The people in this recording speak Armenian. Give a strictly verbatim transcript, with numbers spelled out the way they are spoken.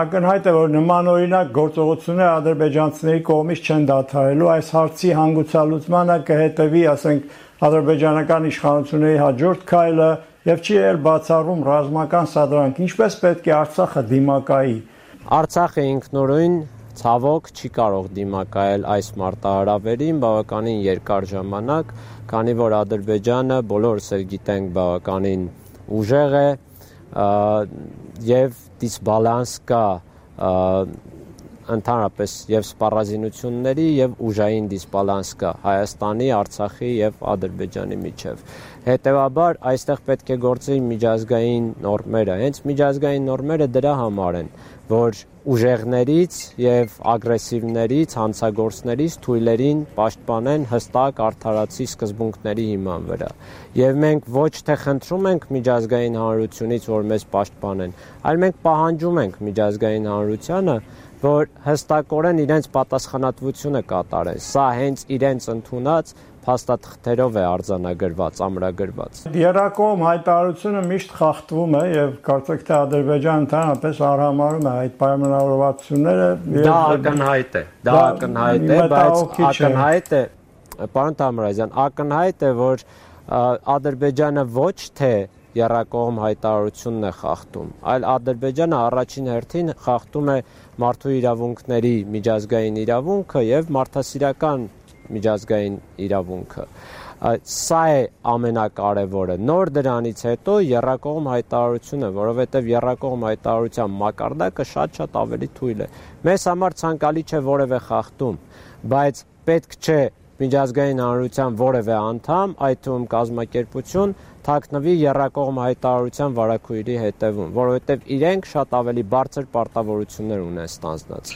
Ակնհայտ է, որ նմանօրինակ գործողությունները ադրբեջանցիների կողմից չեն դադարելու, այս հարցի հանգուցալուծմանը կհետևի, ասենք, ադրբեջանական իշխանությունների հաջորդ քայլը եւ չի ել բացառում ռազմական սադրանք, ինչպես պետք է Արցախը դիմակայի։ Արցախը ինքնուրույն ցավոք չի կարող դիմակայել այս մարտահրավերին բավականին երկար ժամանակ, քանի որ Ադրբեջանը բոլորս էլ գիտենք բավականին ուժեղ է եւ դիսբալանս կա ընդհանրապես եւ սպառազինությունների եւ ուժային դիսբալանս կա Հայաստանի, Արցախի եւ Ադրբեջանի միջեւ։ Հետևաբար այստեղ պետք է գործի միջազգային նորմերը։ Հենց միջազգային նորմերը դրա համար են, որ ուժեղներից եւ ագրեսիվներից, հանցագործներից թույլերին պաշտպանեն հստակ արդարացի սկզբունքների հիման վրա։ Եվ մենք ոչ թե խնդրում ենք միջազգային հանրությունից, որ մեզ պաշտպանեն, այլ մենք պահանջում ենք միջազգային հանրությանը, որ հստակորեն իրենց պատասխանատվությունը կատարեն։ Սա հենց իրենց ընդունած փաստաթղթերով է արձանագրված, ամրագրված։ Եռակողմ հայտարարությունը միշտ խախտվում է եւ կարծեք թե Ադրբեջանը ընդհանրապես արհամարհում է այդ պայմանավորվածությունները։ Դա ակնհայտ է, դա ակնհայտ է, բայց ակնհայտ է, պարոն Թամրազյան, ակնհայտ է, որ Ադրբեջանը ոչ թե եռակողմ հայտարարությունն է խախտում, այլ Ադրբեջանը առաջին հերթին խախտում է մարդու իրավունքների միջազգային իրավունքը եւ մարդասիրական միջազգային իրավունքը։ Սա է ամենակարևորը։ Նոր դրանից հետո եռակողմ հայտարարությունը, որովհետեւ եռակողմ հայտարարության մակարդակը շատ-շատ ավելի թույլ է։ Մեզ համար ցանկալի չէ որևէ խախտում, բայց պետք չէ միջազգային հանրության որևէ անդամ, այդ թվում կազմակերպություն, թաքնվի եռակողմ հայտարարության վարակույրի հետևում, որովհետև իրենք շատ ավելի բարձր պարտավորություններ ունեն ստանձնած։